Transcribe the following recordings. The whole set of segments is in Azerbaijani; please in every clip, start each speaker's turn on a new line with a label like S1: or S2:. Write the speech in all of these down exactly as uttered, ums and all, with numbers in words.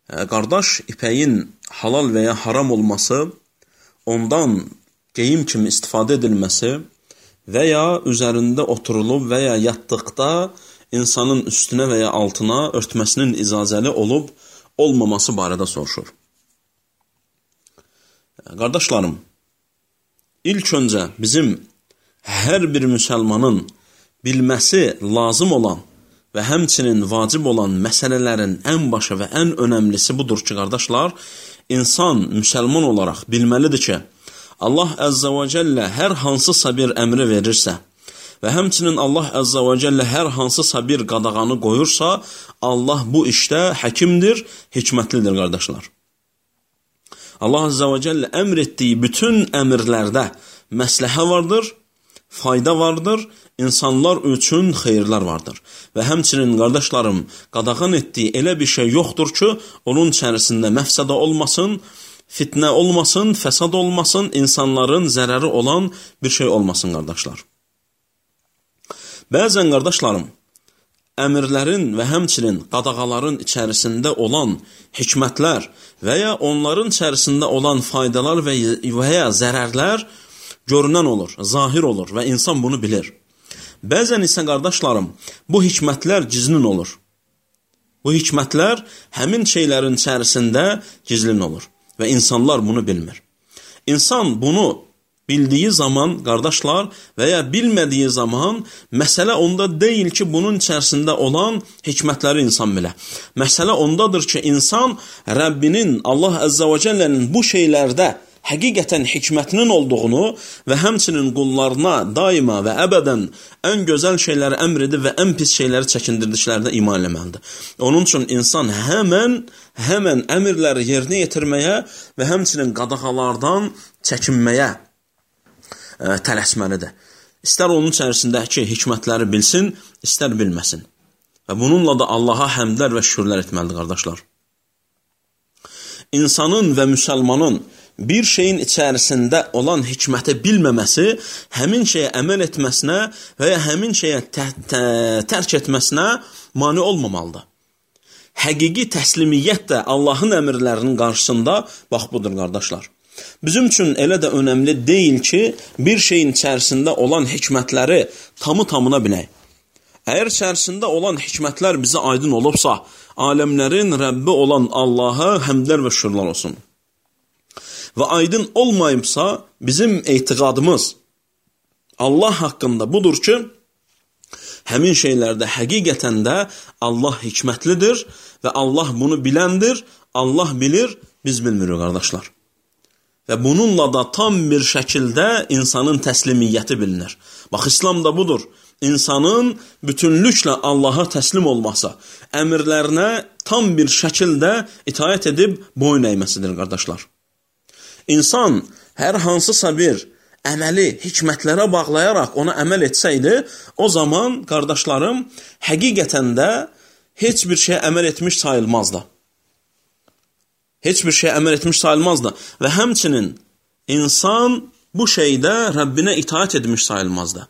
S1: Qardaş, ipəyin halal və ya haram olması, ondan geyim kimi istifadə edilməsi və ya üzərində oturulub və ya yatdıqda insanın üstünə və ya altına örtməsinin icazəli olub, olmaması barədə soruşur. Qardaşlarım, ilk öncə bizim hər bir müsəlmanın bilməsi lazım olan və həmçinin vacib olan məsələlərin ən başı və ən önəmlisi budur ki, qardaşlar, insan müsəlman olaraq bilməlidir ki, Allah Əzzə və Cəllə hər hansısa bir əmri verirsə və həmçinin Allah Əzzə və Cəllə hər hansısa bir qadağanı qoyursa, Allah bu işdə həkimdir, hikmətlidir, qardaşlar. Allah Əzzə və Cəllə əmr etdiyi bütün əmrlərdə məsləhə vardır, fayda vardır, insanlar üçün xeyirlər vardır. Və həmçinin, qardaşlarım, qadağan etdiyi elə bir şey yoxdur ki, onun içərisində məfsədə olmasın, fitnə olmasın, fəsad olmasın, insanların zərəri olan bir şey olmasın, qardaşlar. Bəzən, qardaşlarım, əmirlərin və həmçinin qadağaların içərisində olan hikmətlər və ya onların içərisində olan faydalar və ya zərərlər görünən olur, zahir olur və insan bunu bilir. Bəzən isə, qardaşlarım, bu hikmətlər gizlin olur. Bu hikmətlər həmin şeylərin içərisində gizlin olur və insanlar bunu bilmir. İnsan bunu bildiyi zaman, qardaşlar, və ya bilmədiyi zaman, məsələ onda deyil ki, bunun içərisində olan hikmətləri insan bilə. Məsələ ondadır ki, insan Rəbbinin, Allah Əzzə və Cəllənin bu şeylərdə həqiqətən hikmətinin olduğunu və həmçinin qullarına daima və əbədən ən gözəl şeyləri əmr edib və ən pis şeyləri çəkindirdiklərdə iman eləməlidir. Onun üçün insan həmən, həmən əmrləri yerinə yetirməyə və həmçinin qadağalardan çəkinməyə ə, tələsməlidir. İstər onun içərisindəki hikmətləri bilsin, istər bilməsin. Və bununla da Allaha həmdlər və şükürlər etməlidir, qardaşlar. İnsanın və müsəlmanın bir şeyin içərisində olan hikməti bilməməsi, həmin şeyə əməl etməsinə və ya həmin şeyə tərk etməsinə mane olmamalıdır. Həqiqi təslimiyyət də Allahın əmrlərinin qarşısında bax budur, qardaşlar. Bizim üçün elə də önəmli deyil ki, bir şeyin içərisində olan hikmətləri tamı tamına bilək. Əgər içərisində olan hikmətlər bizə aydın olubsa, aləmlərin Rəbbi olan Allaha həmdlər və şükürlər olsun. Və aydın olmayıbsa, bizim etiqadımız Allah haqqında budur ki, həmin şeylərdə həqiqətən də Allah hikmətlidir və Allah bunu biləndir, Allah bilir, biz bilmirik, qardaşlar. Və bununla da tam bir şəkildə insanın təslimiyyəti bilinir. Bax, İslam da budur. İnsanın bütünlüklə Allaha təslim olması, əmrlərinə tam bir şəkildə itaət edib boyun əyməsidir, qardaşlar. İnsan hər hansısa bir əməli hikmətlərə bağlayaraq ona əməl etsəydi, o zaman, qardaşlarım, həqiqətən də heç bir şey əməl etmiş sayılmazdı. Heç bir şey əməl etmiş sayılmazdı. Və həmçinin insan bu şeydə Rəbbinə itaət etmiş sayılmazdı.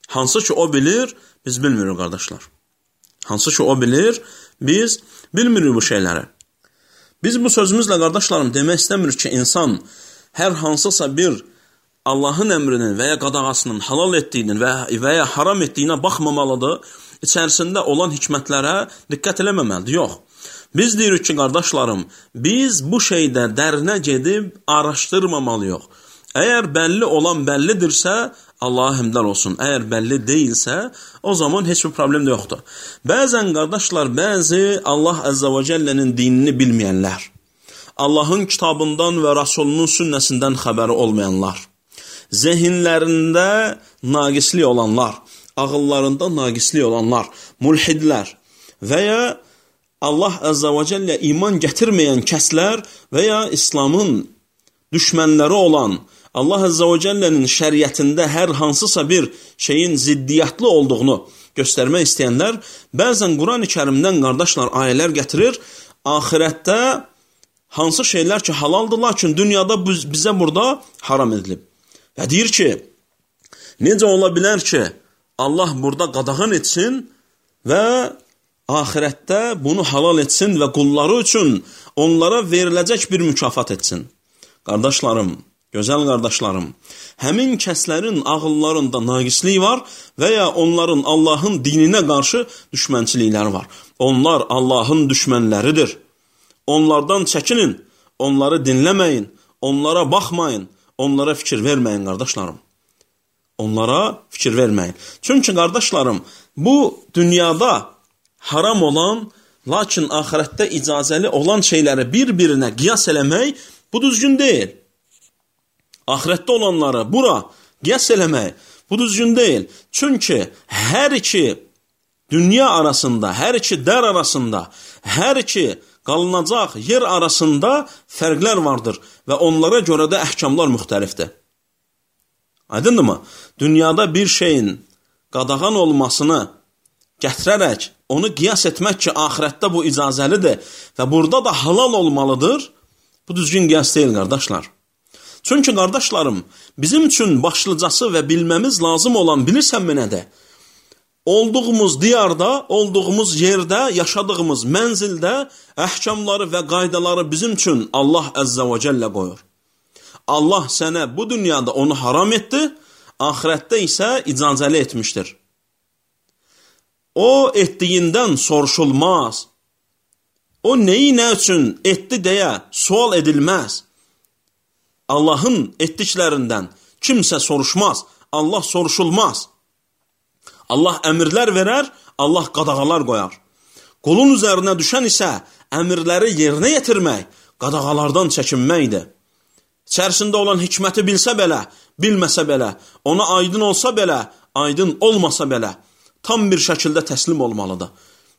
S1: Hansı ki o bilir, biz bilmirik, qardaşlar. Hansı ki o bilir, biz bilmirik bu şeyləri. Biz bu sözümüzlə, qardaşlarım, demək istəmirik ki, insan hər hansısa bir Allahın əmrinin və ya qadağasının halal etdiyinin və, və ya haram etdiyinə baxmamalıdır, içərisində olan hikmətlərə diqqət eləməməlidir. Yox. Biz deyirik ki, qardaşlarım, biz bu şeydə dərinə gedib araşdırmamalıyıq. Əgər bəlli olan bəllidirsə, Allaha həmdlər olsun. Əgər bəlli deyilsə, o zaman heç bir problem də yoxdur. Bəzən, qardaşlar, bəzi Allah Əzzə və Cəllənin dinini bilməyənlər, Allahın kitabından və Rasulunun sünnəsindən xəbəri olmayanlar, zehinlərində naqislik olanlar, ağıllarında naqislik olanlar, mulhidlər və ya Allah Əzzə və Cəllə iman gətirməyən kəslər və ya İslamın düşmənləri olan, Allah Əzzə və Cəllənin şəriətində hər hansısa bir şeyin ziddiyyətli olduğunu göstərmək istəyənlər, bəzən Quran-ı Kərimdən, qardaşlar, ayələr gətirir, axirətdə hansı şeylər ki halaldır, lakin dünyada bizə burada haram edilib. Və deyir ki, necə ola bilər ki, Allah burada qadağan etsin və axirətdə bunu halal etsin və qulları üçün onlara veriləcək bir mükafat etsin. Qardaşlarım, gözəl qardaşlarım, həmin kəslərin ağıllarında naqislik var və ya onların Allahın dininə qarşı düşmənçilikləri var. Onlar Allahın düşmənləridir. Onlardan çəkinin, onları dinləməyin, onlara baxmayın, onlara fikir verməyin qardaşlarım. Onlara fikir verməyin. Çünki qardaşlarım, bu dünyada haram olan, lakin axirətdə icazəli olan şeyləri bir-birinə qiyas eləmək bu düzgün deyil. Axirətdə olanları bura qiyas eləmək bu düzgün deyil. Çünki hər iki dünya arasında, hər iki dər arasında, hər iki qalınacaq yer arasında fərqlər vardır və onlara görə də əhkamlar müxtəlifdir. Aydındırmı? Dünyada bir şeyin qadağan olmasını gətirərək, onu qiyas etmək ki, axirətdə bu icazəlidir və burada da halal olmalıdır, bu düzgün qiyas deyil, qardaşlar. Çünki, qardaşlarım, bizim üçün başlıcası və bilməmiz lazım olan bilirsənmi nədir? Olduğumuz diyarda, olduğumuz yerdə, yaşadığımız mənzildə əhkamları və qaydaları bizim üçün Allah Əzzə və Cəllə qoyur. Allah sənə bu dünyada onu haram etdi, axirətdə isə icazəli etmişdir. O etdiyindən soruşulmaz. O neyi nə üçün etdi deyə sual edilməz. Allahın etdiklərindən kimsə soruşmaz, Allah soruşulmaz. Allah əmrlər verər, Allah qadağalar qoyar. Qulun üzərinə düşən isə əmrləri yerinə yetirmək, qadağalardan çəkinməkdir. İçərisində olan hikməti bilsə belə, bilməsə belə, ona aydın olsa belə, aydın olmasa belə, tam bir şəkildə təslim olmalıdır.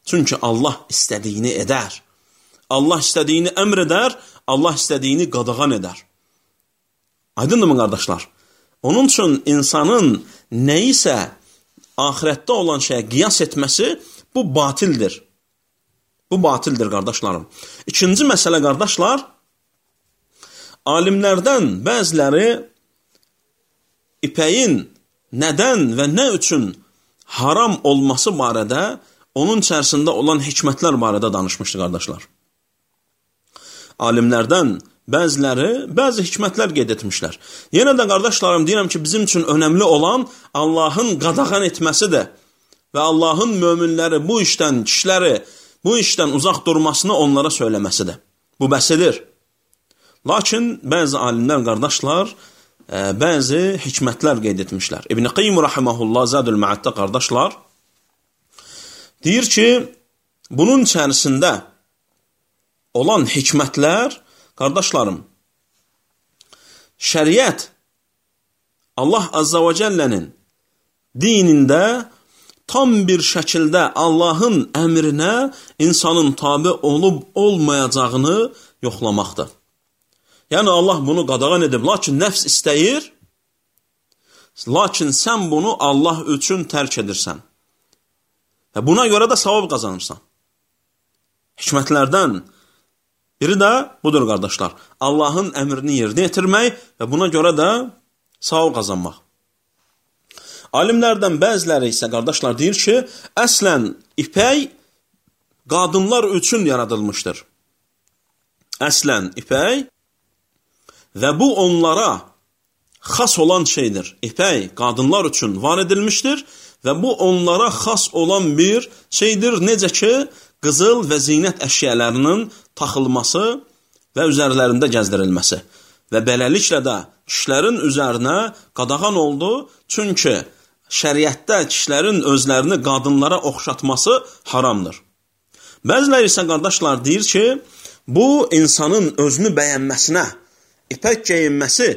S1: Çünki Allah istədiyini edər. Allah istədiyini əmr edər, Allah istədiyini qadağan edər. Aydındırmı, qardaşlar? Onun üçün insanın nəyisə axirətdə olan şeyə qiyas etməsi bu batildir. Bu batildir, qardaşlarım. İkinci məsələ, qardaşlar, alimlərdən bəziləri ipəyin nədən və nə üçün haram olması barədə, onun içərisində olan hikmətlər barədə danışmışdı, qardaşlar. Alimlərdən bəziləri bəzi hikmətlər qeyd etmişlər. Yenə də, qardaşlarım, deyirəm ki, bizim üçün önəmli olan Allahın qadağan etməsidir və Allahın möminləri bu işdən, kişiləri bu işdən uzaq durmasını onlara söyləməsidir. Bu bəsidir. Lakin bəzi alimlər, qardaşlar, bəzi hikmətlər qeyd etmişlər. İbn-i Qayyim rahimehullah Zadul Ma'addə, qardaşlar, deyir ki, bunun içərisində olan hikmətlər, qardaşlarım, şəriət Allah Azza və Cəllənin dinində tam bir şəkildə Allahın əmrinə insanın tabi olub olmayacağını yoxlamaqdır. Yəni Allah bunu qadağan edib, lakin nəfs istəyir, lakin sən bunu Allah üçün tərk edirsən. Və buna görə də savab qazanırsan. Hikmətlərdən biri də budur, qardaşlar. Allahın əmrini yerinə yetirmək və buna görə də savab qazanmaq. Alimlərdən bəziləri isə, qardaşlar, deyir ki, əslən ipək qadınlar üçün yaradılmışdır. Əslən ipək və bu onlara xas olan şeydir. İpək qadınlar üçün var edilmişdir və bu onlara xas olan bir şeydir. Necə ki, qızıl və zinət əşyalarının taxılması və üzərlərində gəzdirilməsi. Və beləliklə də kişilərin üzərinə qadağan oldu. Çünki şəriətdə kişilərin özlərini qadınlara oxşatması haramdır. Bəziləri isə, qardaşlar, deyir ki, bu insanın özünü bəyənməsinə, ipək geyinməsi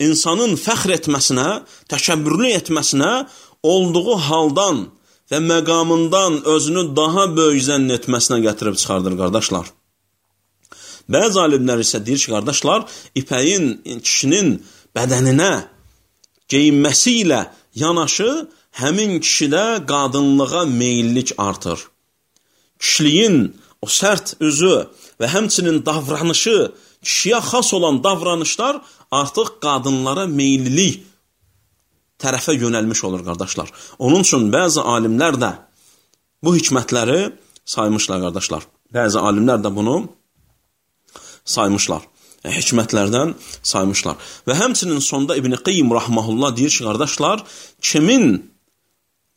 S1: insanın fəxr etməsinə, təkəbbürlü etməsinə, olduğu haldan və məqamından özünü daha böyük zənn etməsinə gətirib çıxardır, qardaşlar. Bəzi alimlər isə deyir ki, qardaşlar, ipəyin kişinin bədəninə geyinməsi ilə yanaşı həmin kişidə qadınlığa meyillik artır. Kişiliyin o sərt üzü və həmçinin davranışı, kişiyə xas olan davranışlar artıq qadınlara meyillilik tərəfə yönəlmiş olur, qardaşlar. Onun üçün bəzi alimlər də bu hikmətləri saymışlar qardaşlar. Bəzi alimlər də bunu saymışlar. Yəni, hikmətlərdən saymışlar. Və həmçinin sonda İbn Qayyim rahmehullah deyir ki, qardaşlar, kimin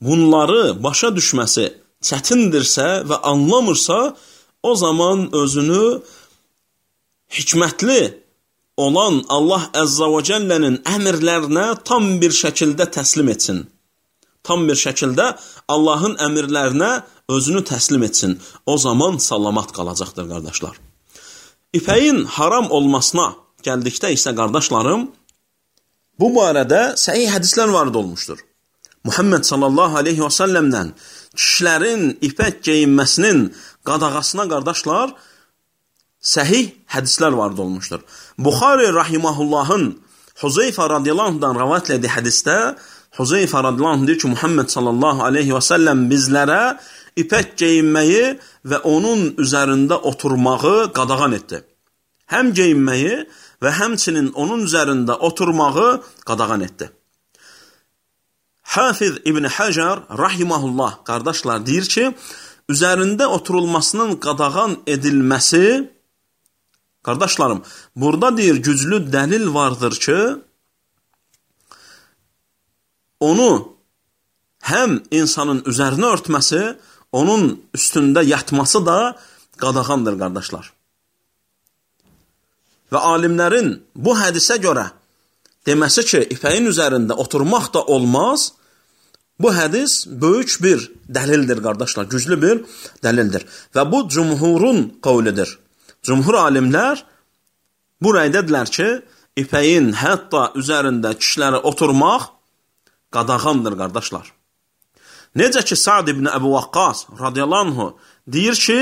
S1: bunları başa düşməsi çətindirsə və anlamırsa, o zaman özünü hikmətli olan Allah Əzza və Cəllənin əmrlərinə tam bir şəkildə təslim etsin. Tam bir şəkildə Allahın əmrlərinə özünü təslim etsin. O zaman salamat qalacaqdır, qardaşlar. İpəyin haram olmasına gəldikdə isə, qardaşlarım, bu barədə səhih hədislər varid olmuşdur. Muhammed sallallahu aleyhi və səlləmdən kişilərin ipək geyinməsinin qadağasına, qardaşlar, səhih hədislər varid olmuşdur. Buxari rahimahullahın Huzeyfə radiyallahu anhudan rəvayət etdiyi hədisdə Huzeyfə radiyallahu anh deyir ki, Muhammed sallallahu aleyhi və səlləm bizlərə ipək geyinməyi və onun üzərində oturmağı qadağan etdi. Həm geyinməyi və həmçinin onun üzərində oturmağı qadağan etdi. Hafiz İbn Hajar rahimahullah, qardaşlar, deyir ki, üzərində oturulmasının qadağan edilməsi, qardaşlarım, burada deyir, güclü dəlil vardır ki, onu həm insanın üzərinə örtməsi, onun üstündə yatması da qadağandır, qardaşlar. Və alimlərin bu hədisə görə deməsi ki, ipəyin üzərində oturmaq da olmaz, bu hədis böyük bir dəlildir, qardaşlar, güclü bir dəlildir. Və bu cumhurun qavlidir. Cumhur alimlər bu rəydədirlər ki, ipəyin hətta üzərində kişilərə oturmaq qadağandır, qardaşlar. Necə ki, Sa'd ibn Əbu Vaqqas radiyallahu anhu deyir ki,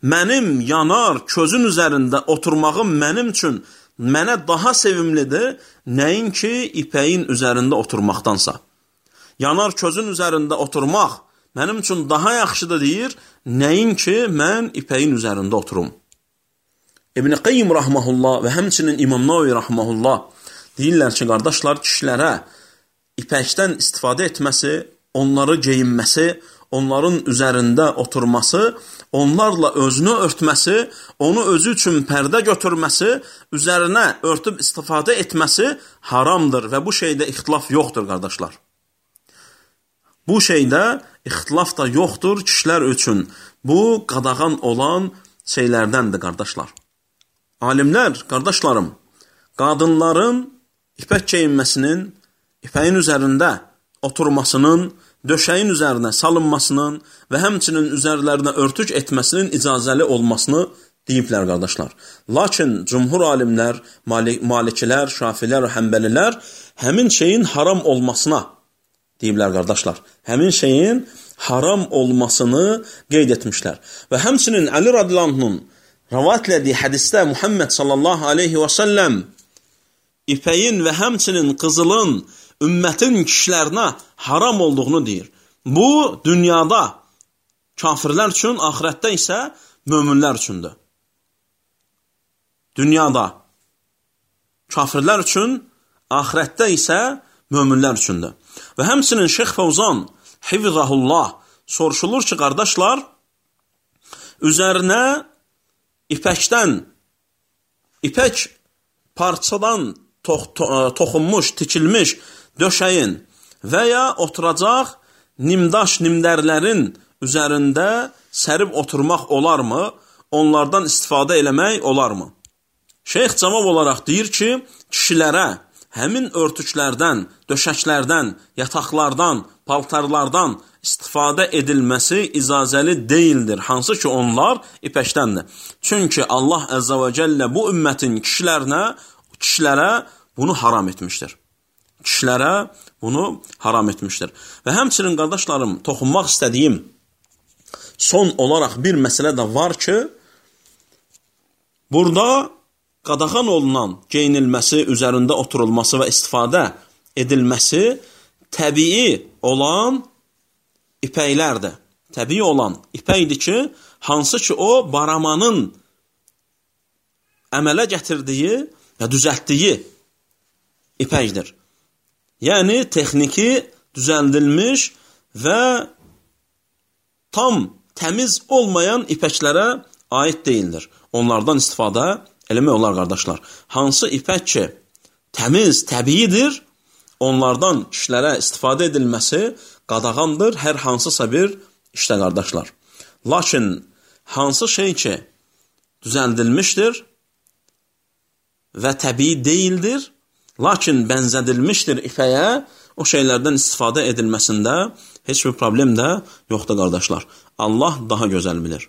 S1: mənim yanar közün üzərində oturmağım mənim üçün mənə daha sevimlidir, nəinki ipəyin üzərində oturmaqdansa. Yanar közün üzərində oturmaq mənim üçün daha yaxşıdır deyir, nəinki mən ipəyin üzərində oturum. İbn Qayyim rahmehullah və həmçinin İmam Nawavi rahmehullah deyirlər ki, qardaşlar, kişilərə ipəkdən istifadə etməsi, onları geyinməsi, onların üzərində oturması, onlarla özünü örtməsi, onu özü üçün pərdə götürməsi, üzərinə örtüb istifadə etməsi haramdır və bu şeydə ixtilaf yoxdur, qardaşlar. Bu şeydə ixtilaf da yoxdur kişilər üçün. Bu qadağan olan şeylərdəndir, qardaşlar. Alimlər, qardaşlarım, qadınların ipək geyinməsinin, ipəyin üzərində oturmasının, döşəyin üzərinə salınmasının və həmçinin üzərlərinə örtük etməsinin icazəli olmasını deyiblər, qardaşlar. Lakin cumhur alimlər, malikilər, şafilər və həmbəlilər həmin şeyin haram olmasına deyiblər, qardaşlar. Həmin şeyin haram olmasını qeyd etmişlər. Və həmçinin Əli radiyallahu anhun rəvayət etdiyi hədisdə Muhammed sallallahu aleyhi və səlləm ipəyin və həmçinin qızılın ümmətin kişilərinə haram olduğunu deyir. Bu, dünyada kafirlər üçün, axirətdə isə möminlər üçündür. Dünyada kafirlər üçün, axirətdə isə möminlər üçündür. Və həmçinin Şeyx Fəvzan hifzahullah soruşulur ki, qardaşlar, üzərinə ipəkdən, ipək parçadan tox to toxunmuş, tikilmiş döşəyin və ya oturacaq nimdaş nimdərlərin üzərində sərib oturmaq olarmı? Onlardan istifadə eləmək olarmı? Şeyx cavab olaraq deyir ki, kişilərə həmin örtüklərdən, döşəklərdən, yataqlardan, paltarlardan istifadə edilməsi icazəli deyildir. Hansı ki, onlar ipəkdəndir. Çünki Allah Əzza və Cəllə bu ümmətin kişilərinə, kişilərə bunu haram etmişdir. Kişilərə bunu haram etmişdir. Və həmçinin, qardaşlarım, toxunmaq istədiyim son olaraq bir məsələ də var ki, burada qadağan olunan geyinilməsi, üzərində oturulması və istifadə edilməsi təbii olan ipəklərdir. Təbii olan ipəkdir ki, hansı ki o baramanın əmələ gətirdiyi və düzəltdiyi ipəkdir. Yəni, texniki düzəldilmiş və tam təmiz olmayan ipəklərə aid deyildir. Onlardan istifadə eləmək olar, qardaşlar. Hansı ipək ki, təmiz, təbiidir, onlardan işlərə istifadə edilməsi qadağandır hər hansısa bir işdə, qardaşlar. Lakin hansı şey ki, düzəldilmişdir və təbii deyildir, lakin bənzədilmişdir ipəyə, o şeylərdən istifadə edilməsində heç bir problem də yoxdur, qardaşlar. Allah daha gözəl bilir.